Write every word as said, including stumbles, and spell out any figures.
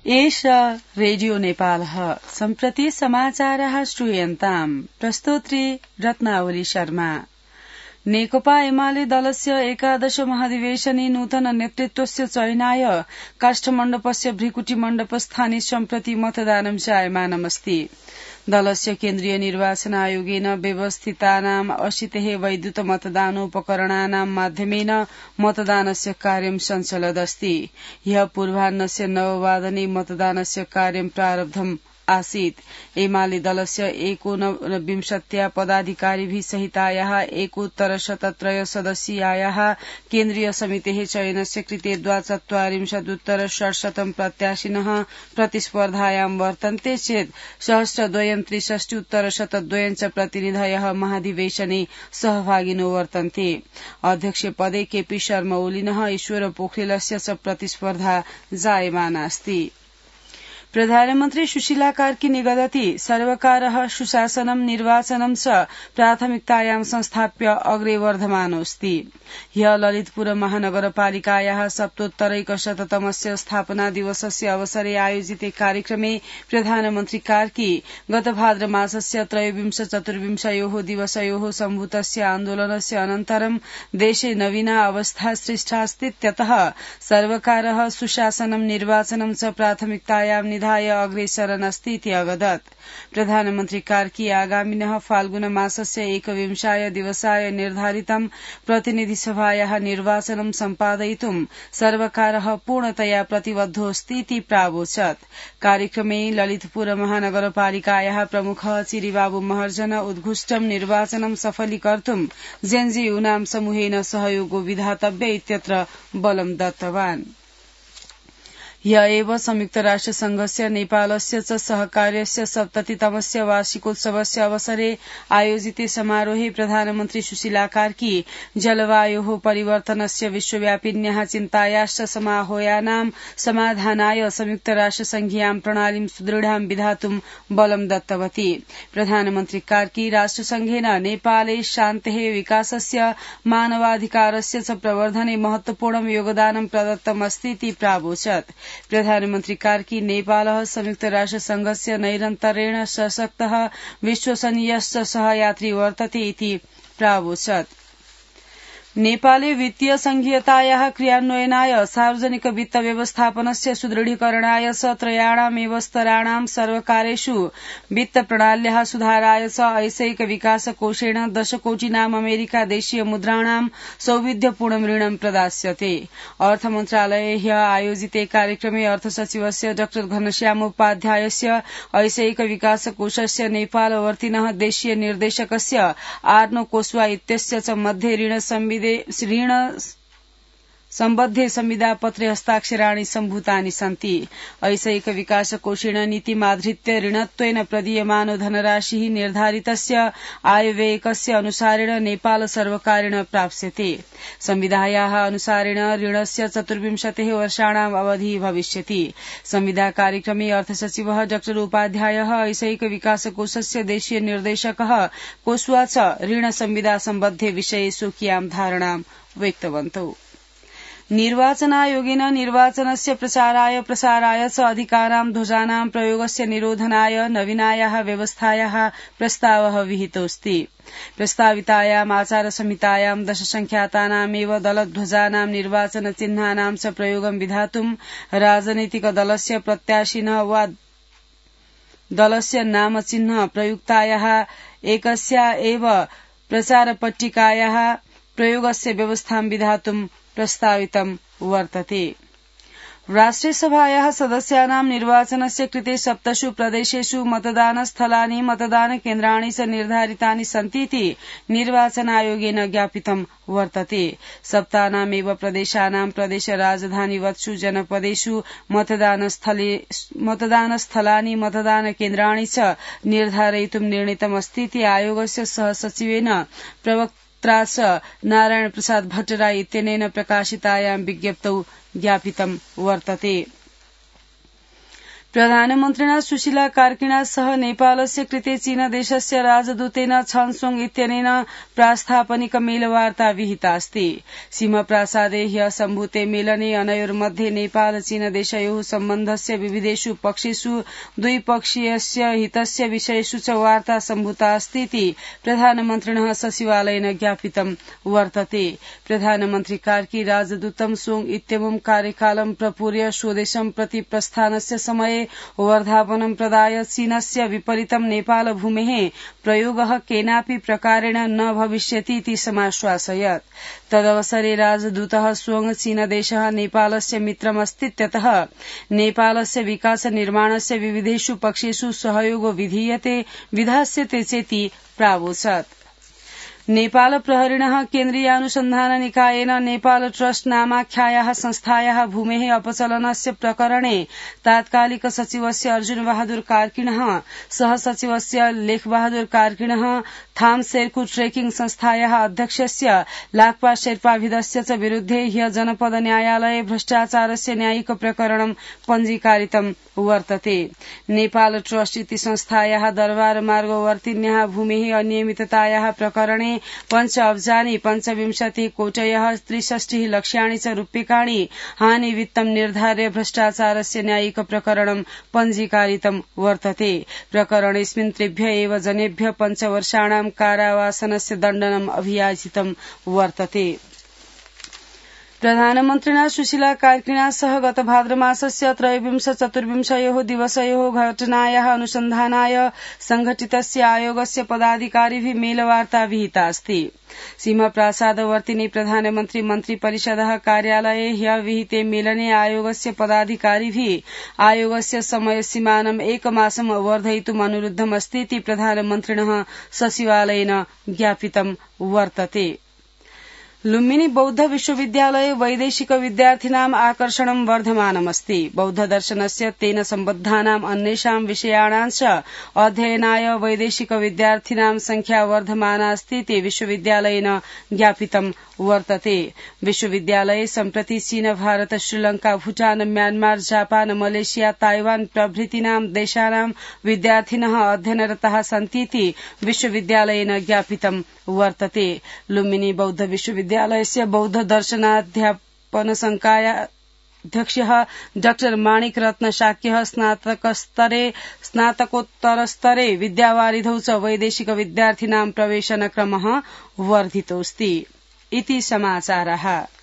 एष रेडियो नेपालः सम्प्रति समाचारः श्रूयन्ताम् प्रस्तोत्री रत्नावली शर्मा। नेकपा एमाले दलस्य एकादश महाधिवेशने नूतन नेतृत्वस्य चयनाय काष्ठमण्डपस्य भृकुटिमण्डपस्थाने सम्प्रति मतदानं जायमानमस्ति। दलस्य केन्द्रीय निर्वाचन आयोगेन व्यवस्थितानाम् अशीतिः वैद्युत मतदानोपकरणानां माध्यमेन मतदानस्य कार्यं सञ्चलदस्ति। ह्यः पूर्वाह्नस्य नववादने मतदानस्य कार्यं प्रारब्धम् आसीत्। एमाले दलस्य एकोनविंशत्या पदाधिकारिभिः सहितायाः एकोत्तरशतत्रय सदस्यीयायाः केन्द्रीय समितेः चयनस्य कृते द्वाचत्वारिंशदुत्तर षट्शतं प्रत्याशिनः प्रतिस्पर्धायां वर्तन्ते चेत् सहस्रद्वयं त्रिषष्ट्युत्तर शतद्वयं च प्रतिनिधयः महाधिवेशने सहभागिनो वर्तन्ते। अध्यक्ष पदे केपी शर्मा ओलिनः ईश्वर पोखरेलस्य च प्रतिस्पर्धा जायमानास्ति। प्रधानमन्त्री सुशीला कार्की निगदति सर्वकारः सुशासनं निर्वाचनं च प्राथमिकतायां संस्थाप्य अग्रे वर्धमानोऽस्ति। ह्यः ललितपुर महानगरपालिकायाः सप्तोत्तरैकशततमस्य स्थापना दिवसस्य अवसरे आयोजिते कार्यक्रमे प्रधानमन्त्री कार्की गत भाद्र मासस्य त्रयोविंश चतुर्विंशयोः दिवसयोः सम्भूतस्य आन्दोलनस्य अनन्तरं देशे नवीना अवस्था सृष्टास्तीत्यतः सर्वकारः सुशासनं निर्वाचनं च प्राथमिकतायां निधाय अग्रेसरन् अस्ति अवदत्। प्रधानमन्त्री कार्की आगामिनः फाल्गुन मासस्य एकविंशाय दिवसाय निर्धारितं प्रतिनिधिसभायाः निर्वाचनं सम्पादयितुं सर्वकारः पूर्णतया प्रतिबद्धोऽस्तीति प्रावोचत्। कार्यक्रमे ललितपुर महानगरपालिकायाः प्रमुखः चिरिबाबु महर्जन उद्घुष्टं निर्वाचनं सफलीकर्तुं जेएनजी-यूनां समूहेन सहयोगो विधातव्य इत्यत्र बलं दत्तवान्। ह्य एव संयुक्त राष्ट्र संघस्य नेपालस्य च सहकार्यस्य सप्ततितमस्य वार्षिकोत्सवस्य अवसरे आयोजिते समारोहे प्रधानमन्त्री सुशीला कार्की जलवायोः परिवर्तनस्य विश्वव्यापिन्याः चिन्तायाश्च समाह्वानां समाधानाय संयुक्त राष्ट्र संघीयां प्रणालीं सुदृढां विधातुं बलं दत्तवती। प्रधानमन्त्री कार्की राष्ट्रसंघेन नेपाले शान्तेः विकासस्य मानवाधिकारस्य च प्रवर्धने महत्वपूर्णं योगदानं प्रदत्तमस्तीति प्रावोचत्। प्रधानमन्त्री कार्की नेपालः संयुक्त राष्ट्र संघस्य नैरन्तर्येण सशक्तः विश्वसनीयश्च सहयात्री वर्तते इति प्रावोचत्। नेपाले वित्तीय संघीयतायाः क्रियान्वयनाय सार्वजनिक वित्त व्यवस्थापनस्य सुदृढीकरणाय च त्रयाणामेव स्तराणां सर्वकारेषु वित्त प्रणाल्याः सुधाराय च ऐसैक विकास कोषेण दशकोटिनाम् अमेरिका देशीय मुद्राणां सौविध्यपूर्णं ऋणं प्रदास्यते। अर्थ मन्त्रालये ह्यः आयोजिते कार्यक्रमे अर्थसचिवस्य डाक्टर घनश्यामोपाध्यायस्य ऐसैक विकास कोषस्य नेपालवर्तिनः देशीय निर्देशकस्य आर्नो कोस्वा इत्यस्य च मध्ये ऋण संविधि ऋण सम्बद्धे संविदापत्रे हस्ताक्षराणि सम्भूतानि सन्ति। ऐसैक विकास कोषेण नीतिमाधृत्य ऋणत्वेन प्रदीयमानो धनराशिः निर्धारितस्य आयव्ययकस्य अनुसारेण नेपाल सर्वकारेण प्राप्स्यते। संविधायाः अनुसारेण ऋणस्य चतुर्विंशतिः वर्षाणाम् अवधिः भविष्यति। संविदा कार्यक्रमे अर्थसचिवः डाक्टर उपाध्यायः ऐसैक विकास कोषस्य देशीय निर्देशकः कोस्वा च ऋण संविदा सम्बद्धे विषये स्वकीयां धारणां व्यक्तवन्तौ। निर्वाचनायोगेन निर्वाचनस्य प्रचाराय प्रसाराय च अधिकारां ध्वजानां प्रयोगस्य निरोधनाय नवीनायाः व्यवस्थायाः प्रस्तावः विहितोऽस्ति। प्रस्तावितायाम् आचार संहितायां दशसंख्यातानामेव दलध्वजानां निर्वाचन चिह्नानां च प्रयोगं विधातुं राजनैतिक दलस्य प्रत्याशिनः वा दलस्य नाम चिह्न प्रयुक्तायाः एकस्या एव प्रचारपट्टिकायाः प्रयोगस्य व्यवस्थां विधातुं प्रस्तावितं वर्तते। राष्ट्रियसभायाः सदस्यानां निर्वाचनस्य कृते सप्तसु प्रदेशेषु मतदानस्थलानि मतदानकेन्द्राणि च निर्धारितानि सन्तीति निर्वाचनायोगेन ज्ञापितं वर्तते। सप्तानामेव प्रदेशानां प्रदेश राजधानीवत्सु जनपदेषु मतदानस्थलानि मतदानकेन्द्राणि च निर्धारयितुं निर्णीतमस्तीति आयोगस्य सहसचिवेन प्रवक्ता नारायण प्रसाद भट्टराय इत्यनेन प्रकाशितायां विज्ञप्तौ ज्ञापितं वर्तते। प्रधानमन्त्रिणा सुशीला कार्किणा सह नेपालस्य कृते चीनदेशस्य राजदूतेन छन्सोङ इत्यनेन प्रास्थापनिक मेलवार्ता विहितास्ति। सीमप्रासादे ह्य सम्भूते मेलने अनयोर्मध्ये नेपाल चीनदेशयोः सम्बन्धस्य विविधेषु पक्षेषु द्विपक्षीयस्य हितस्य विषयेषु च वार्ता सम्भूतास्तीति प्रधानमन्त्रिणः सचिवालयेन ज्ञापितं वर्तते। प्रधानमन्त्री कार्की राजदूतं सोङ इत्यमुं कार्यकालं प्रपूर्य स्वदेशं प्रति प्रस्थानस्य समये वर्धापनं प्रदाय चीनस्य विपरीतं नेपाल भूमेः प्रयोगः केनापि प्रकारेण न भविष्यतीति समाश्वासयत्। तदवसरे राजदूतः सोङ चीनदेशः नेपालस्य मित्रमस्तीत्यतः नेपालस्य विकास निर्माणस्य विविधेषु पक्षेषु सहयोग विधीयते विधास्यते चेति प्रावोचत्। नेपाल प्रहरिणः केन्द्रीयानुसन्धान निकायेन नेपाल ट्रस्ट नामाख्यायाः संस्थायाः भूमेः अपचलनस्य प्रकरणे तात्कालिक सचिवस्य अर्जुन बहादुर कार्किणः सह सचिवस्य लेखबहादुर कार्किणः थाम शेर्कु ट्रेकिङ संस्थायाः अध्यक्षस्य लाक्पा शेर्पाभिदस्य च विरुद्धे ह्य जनपद न्यायालये भ्रष्टाचारस्य न्यायिक प्रकरणं पञ्जीकारितं वर्तते। नेपाल ट्रस्ट इति संस्थायाः दरबार मार्गवर्तिन्याः भूमेः अनियमिततायाः प्रकरणे पंच अब्जानि पंचविंशति कोटयः त्रिषष्टिः लक्ष्याणि च रूप्यकाणि हानि वित्तं निर्धार्य भ्रष्टाचारस्य न्यायिक प्रकरणं पञ्जीकारितं वर्तते। प्रकरणेऽस्मिन् त्रिभ्य एव जनेभ्य पञ्चवर्षाणां कारावासनस्य दण्डनम् अभियाचितं वर्तते। प्रधानमन्त्रिणा सुशीला कार्किणा सह गत भाद्रमासस्य त्रयोविंश चतुर्विंशयोः दिवसयोः घटनायाः अनुसन्धानाय संघटितस्य आयोगस्य पदाधिकारिभिः मेलवार्ता विहितास्ति। सीमप्रासादवर्तिनि प्रधानमन्त्री मन्त्रिपरिषदः कार्यालये ह्य विहिते मेलने आयोगस्य पदाधिकारिभिः आयोगस्य समयसीमानम् एकमासम् वर्धयितुम् अनुरुद्धमस्तीति प्रधानमन्त्रिणः सचिवालयेन ज्ञापितं वर्तते। लुम्बिनी बौद्ध विश्वविद्यालये वैदेशिक विद्यार्थिनाम् आकर्षणं वर्धमानमस्ति। बौद्ध दर्शनस्य तेन सम्बद्धानाम् अन्येषां विषयाणां च अध्ययनाय वैदेशिक विद्यार्थिनां संख्या वर्धमानास्तीति विश्वविद्यालयेन ज्ञापितं वर्तते। विश्वविद्यालये सम्प्रति चीन Bharat Sri Lanka Bhutan Myanmar Japan Malaysia Taiwan प्रभृतीनां देशानां विद्यार्थिनः अध्ययनरताः सन्तीति विश्वविद्यालयेन ज्ञापितं वर्तते। लुम्बिनी बौद्ध विश्वविद्यालयस्य बौद्ध दर्शनाध्यापन संकायाध्यक्षः डाक्टर माणिक रत्न शाक्यः स्नातकस्तरे स्नातकोत्तरस्तरे विद्यावारिधौ च वैदेशिक विद्यार्थिनां प्रवेशनक्रमः वर्धितोऽस्ति। इति समाचारः।